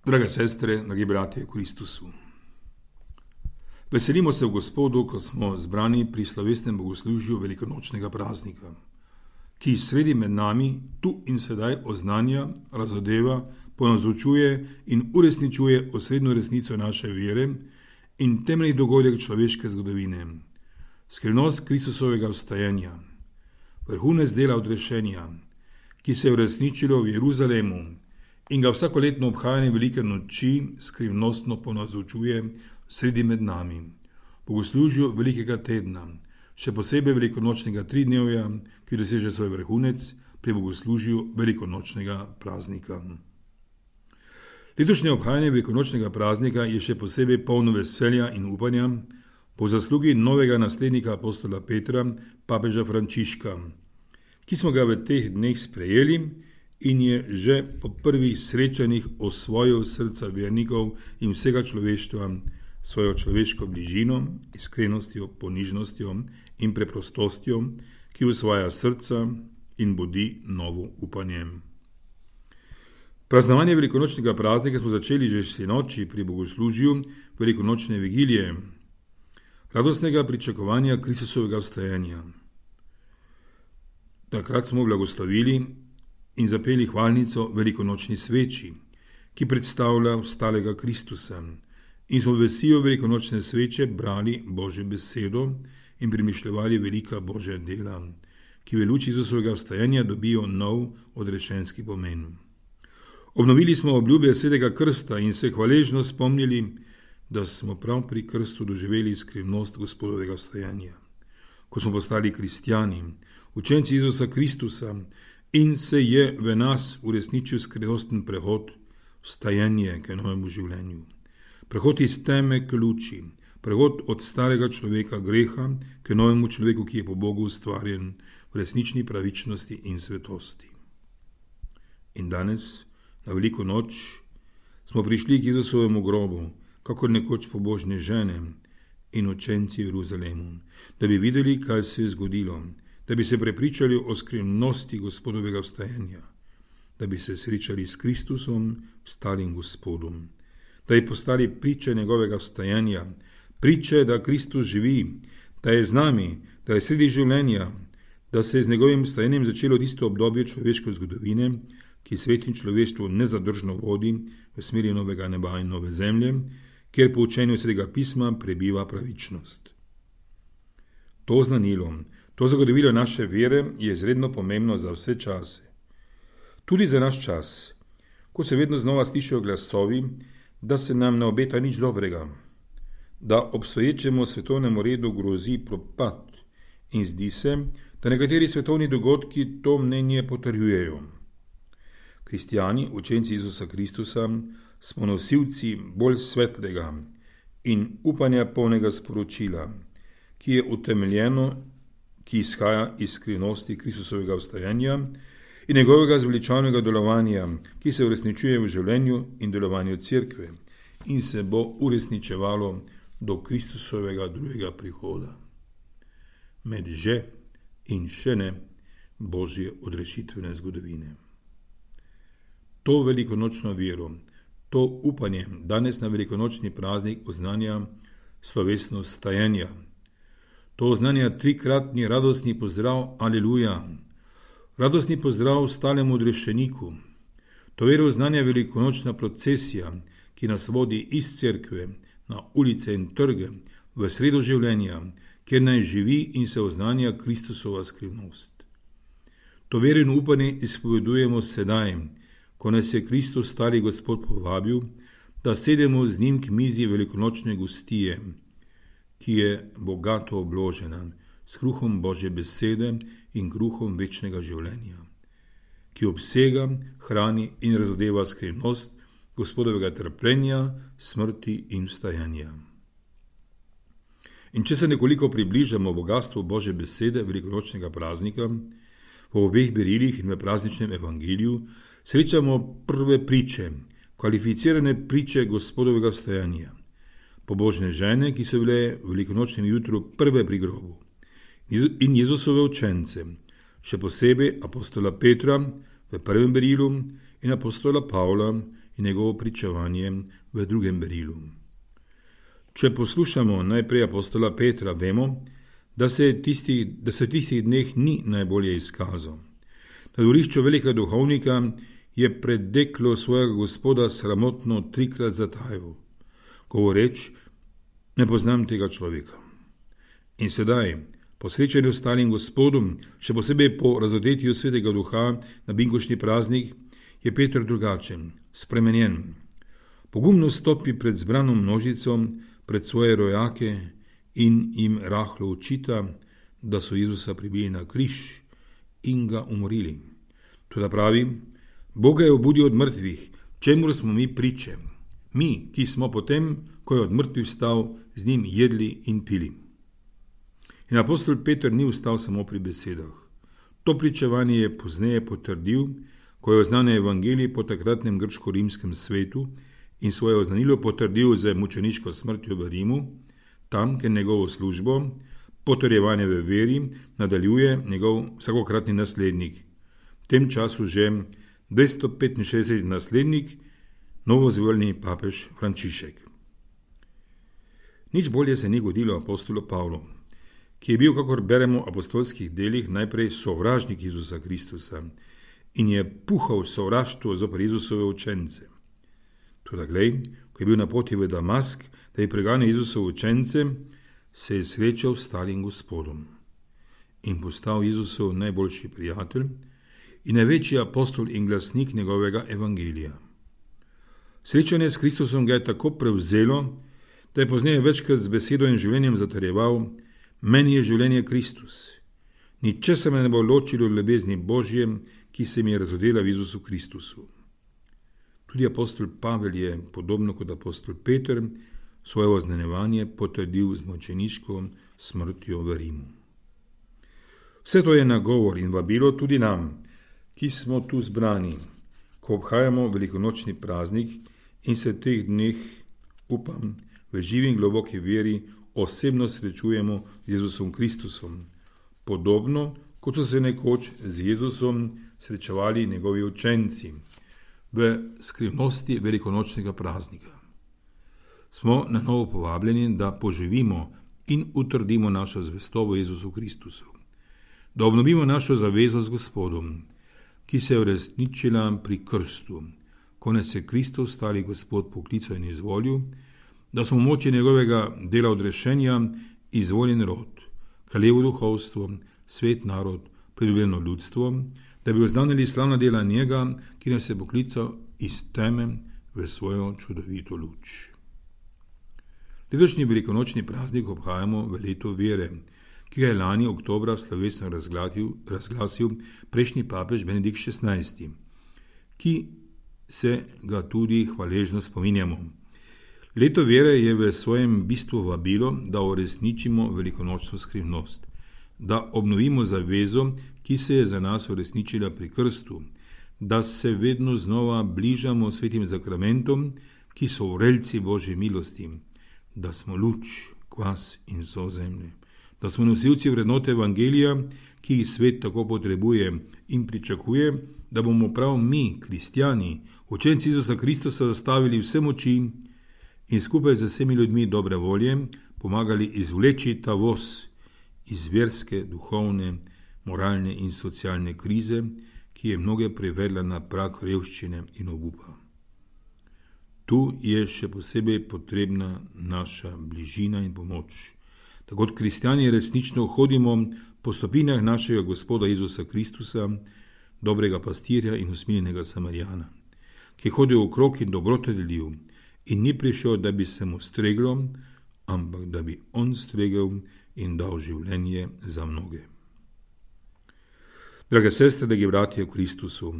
Drage sestre, dragi bratje v Kristusu. Veselimo se v Gospodu, ko smo zbrani pri slovesnem bogoslužju velikonočnega praznika, ki sredi med nami tu in sedaj oznanja, razodeva, ponazorčuje in uresničuje osrednjo resnico naše vere in temeljni dogodek človeške zgodovine, skrivnost Kristusovega vstajanja, vrhunec dela odrešenja, ki se je uresničilo v Jeruzalemu in ga vsakoletno obhajanje velike noči skrivnostno ponazorčuje sredi med nami, bogoslužju velikega tedna, še posebej velikonočnega tridnevja, ki doseže svoj vrhunec pri bogoslužju velikonočnega praznika. Letošnje obhajanje velikonočnega praznika je še posebej polno veselja in upanja po zaslugi novega naslednika apostola Petra, papeža Frančiška, ki smo ga v teh dneh sprejeli in je že po prvih srečanjih osvojil srca vernikov in vsega človeštva svojo človeško bližino, iskrenostjo, ponižnostjo in preprostostjo, ki osvaja srca in budi novo upanje. Praznovanje velikonočnega praznika smo začeli že sinoči pri bogoslužju velikonočne vigilije, radostnega pričakovanja Kristusovega vstajanja. Takrat smo blagoslovili in zapeli hvalnico velikonočni sveči, ki predstavlja vstalega Kristusa, in smo v vesijo velikonočne sveče brali Božjo besedo in premišljevali velika Božja dela, ki v luči Jesusovega vstajanja dobijo nov odrešenski pomen. Obnovili smo obljube svetega krsta in se hvaležno spomnili, da smo prav pri krstu doživeli skrivnost Gospodovega vstajanja, ko smo postali kristjani, učenci Jezusa Kristusa, in se je v nas uresničil skrivnosten prehod, vstajanje k novemu življenju. Prehod iz teme k luči, prehod od starega človeka greha k novemu človeku, ki je po Bogu ustvarjen v resnični pravičnosti in svetosti. In danes, na veliko noč, smo prišli k Jezusovemu grobu, kakor nekoč pobožne žene in učenci v Jeruzalemu, da bi videli, kaj se je zgodilo, da bi se prepričali o skrivnosti Gospodovega vstajanja, da bi se srečali s Kristusom, vstalim Gospodom, da bi postali priče njegovega vstajanja, priče, da Kristus živi, da je z nami, da je sredi življenja, da se je z njegovim vstajanjem začelo tisto obdobje človeške zgodovine, ki svet in človeštvo nezadržno vodi v smeri novega neba in nove zemlje, kjer po učenju Svetega pisma prebiva pravičnost. To znanilo, to zagotovilo naše vere je izredno pomembno za vse čase. Tudi za naš čas, ko se vedno znova slišijo glasovi, da se nam ne obeta nič dobrega, da obstoječemu svetovnemu redu grozi propad in zdi se, da nekateri svetovni dogodki to mnenje potrjujejo. Kristjani, učenci Jezusa Kristusa, smo nosilci bolj svetlega in upanja polnega sporočila, ki je utemeljeno, ki izhaja iz skrivnosti Kristusovega vstajanja in njegovega zveličavnega delovanja, ki se uresničuje v življenju in delovanju cerkve in se bo uresničevalo do Kristusovega drugega prihoda. Med že in še ne Božje odrešitvene zgodovine. To velikonočno vero, to upanje danes na velikonočni praznik oznanja slovesno vstajanja. To oznanja trikratni radostni pozdrav Aleluja, radostni pozdrav stalemu odrešeniku. To vero oznanja velikonočna procesija, ki nas vodi iz cerkve na ulice in trge v sredo življenja, kjer naj živi in se oznanja Kristusova skrivnost. To vero in upanje izpovedujemo sedaj, ko nas je Kristus stari Gospod povabil, da sedemo z njim k mizi velikonočne gostije, ki je bogato obložena s kruhom Božje besede in kruhom večnega življenja, ki obsega, hrani in razodeva skrivnost Gospodovega trpljenja, smrti in vstajanja. In če se nekoliko približamo bogatstvu Božje besede velikonočnega praznika, v obeh berilih in v prazničnem evangeliju srečamo prve priče, kvalificirane priče Gospodovega vstajanja. Pobožne žene, ki so bile v velikonočnem jutru prve pri grobu, in Jezusove učence, še posebej apostola Petra v prvem berilu in apostola Pavla in njegovo pričevanje v drugem berilu. Če poslušamo najprej apostola Petra, vemo, da se v tistih dneh ni najbolje izkazal. Na dvorišču velikega duhovnika je pred deklo svojega gospoda sramotno 3-krat zatajal, govoreč, ne poznam tega človeka. In sedaj, po srečanju s stalim gospodom, še posebej po razodetju svetega duha na binkoštni praznik, je Peter drugačen, spremenjen. Pogumno stopi pred zbrano množico, pred svoje rojake in jim rahlo očita, da so Jezusa pribili na križ in ga umorili. Toda pravi, Bog ga je obudil od mrtvih, čemur smo mi priče. Mi, ki smo potem, ko je od mrtvih vstal, z njim jedli in pili. In apostol Peter ni ustal samo pri besedah. To pričevanje je pozneje potrdil, ko je oznanil evangelij po takratnem grško-rimskem svetu in svoje oznanilo potrdil z mučeniško smrtjo v Rimu, tam, kjer njegovo službo, potrjevanje v veri, nadaljuje njegov vsakokratni naslednik. V tem času že 265. naslednik, novozvoljeni papež Frančišek. Nič bolje se ni godilo apostolu Pavlu, ki je bil, kakor beremo v apostolskih delih, najprej sovražnik Jezusa Kristusa in je puhal sovraštvo zoper Jezusove učence. Toda glej, ko je bil na poti v Damask, da je preganjal Jezusove učence, se je srečal s stalim gospodom in postal Jezusov najboljši prijatelj in največji apostol in glasnik njegovega evangelija. Srečanje s Kristusom ga je tako prevzelo, da je pozneje večkrat z besedo in življenjem zatrjeval: meni je življenje Kristus. Ničesar me ne bo ločilo od ljubezni Božje, ki se mi je razodela v Jezusu Kristusu. Tudi apostol Pavel je, podobno kot apostol Peter, svoje oznanjevanje potrdil z mučeniško smrtjo v Rimu. Vse to je nagovor in vabilo tudi nam, ki smo tu zbrani, ko obhajamo velikonočni praznik in se teh dneh, upam, v živi in globoki veri osebno srečujemo z Jezusom Kristusom, podobno kot so se nekoč z Jezusom srečevali njegovi učenci v skrivnosti velikonočnega praznika. Smo na novo povabljeni, da poživimo in utrdimo našo zvestobo Jezusu Kristusu, da obnovimo našo zavezo z Gospodom, ki se je uresničila pri krstu, ko nas je Kristus, stari Gospod, poklical in izvolil, da smo v moči njegovega dela odrešenja izvoljen rod, kraljevo duhovstvo, svet narod, pridobljeno ljudstvo, da bi oznanili slavna dela njega, ki nas je poklical iz teme v svojo čudovito luč. Letošnji velikonočni praznik obhajamo v leto vere, ki ga je lani oktobra slovesno razglasil prejšnji papež Benedikt XVI, ki se ga tudi hvaležno spominjamo. Leto vere je v svojem bistvu vabilo, da uresničimo velikonočno skrivnost, da obnovimo zavezo, ki se je za nas uresničila pri krstu, da se vedno znova bližamo svetim zakramentom, ki so vrelci Božje milosti, da smo luč, kvas in sol zemlje, da smo nosilci vrednote evangelija, ki jih svet tako potrebuje in pričakuje, da bomo prav mi, kristjani, učenci Jezusa Kristusa, zastavili vse moči in skupaj z vsemi ljudmi dobre volje pomagali izvleči ta voz iz verske, duhovne, moralne in socialne krize, ki je mnoge privedla na prag revščine in obupa. Tu je še posebej potrebna naša bližina in pomoč. Tako kot kristjani resnično hodimo po stopinjah našega Gospoda Jezusa Kristusa, dobrega pastirja in usmiljenega Samarijana, ki je hodil okrog in dobroto delil in ni prišel, da bi se mu streglo, ampak da bi on stregel in dal življenje za mnoge. Drage sestre, dragi bratje v Kristusu,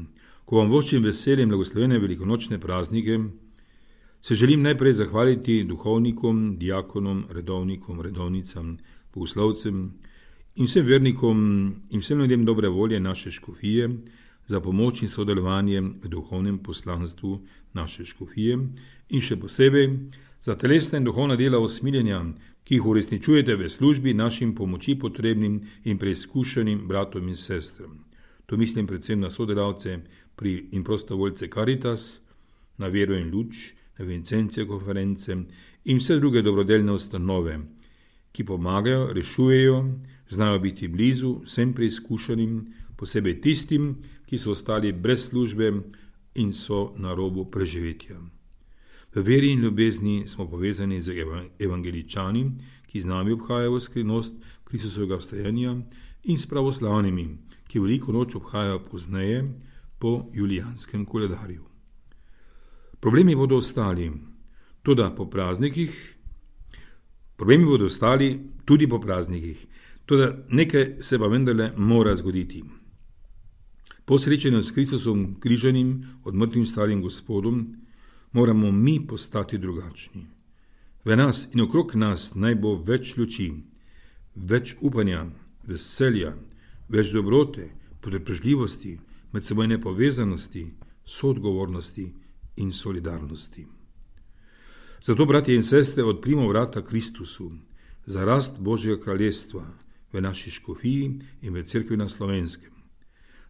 ko vam voščim veseljem blagoslovene velikonočne praznike, se želim najprej zahvaliti duhovnikom, diakonom, redovnikom, redovnicam, bogoslovcem in vsem vernikom in vsem ljudem dobre volje naše škofije za pomoč in sodelovanje v duhovnem poslanstvu naše škofije in še posebej za telesna in duhovna dela usmiljenja, ki jih uresničujete v službi našim pomoči potrebnim in preizkušenim bratom in sestram. To mislim predvsem na sodelavce in prostovoljce Caritas, na Vero in luč, na Vincencije konference in vse druge dobrodelne ustanove, ki pomagajo, rešujejo, znajo biti blizu vsem preizkušanim, posebej tistim, ki so ostali brez službe in so na robu preživetja. V veri in ljubezni smo povezani z evangeličani, ki z nami obhajajo skrivnost Kristusovega vstajenja, in s pravoslavnimi, ki veliko noč obhajajo pozneje po julijanskem koledarju. Problemi bodo ostali tudi po praznikih, tudi nekaj se pa vendarle mora zgoditi. Po srečanju s Kristusom križanim, od mrtvim starim Gospodom, moramo mi postati drugačni. V nas in okrog nas naj bo več luči, več upanja, veselja, več dobrote, potrpežljivosti, medsebojne povezanosti, soodgovornosti in solidarnosti. Zato, bratje in sestre, odprimo vrata Kristusu za rast Božjega kraljestva v naši škofiji in v cerkvi na Slovenskem,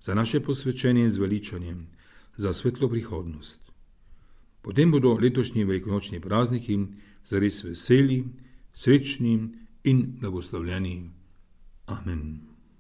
za naše posvečenje in zveličanje, za svetlo prihodnost. Potem bodo letošnji velikonočni prazniki zares veseli, srečni in blagoslovljeni. Amen.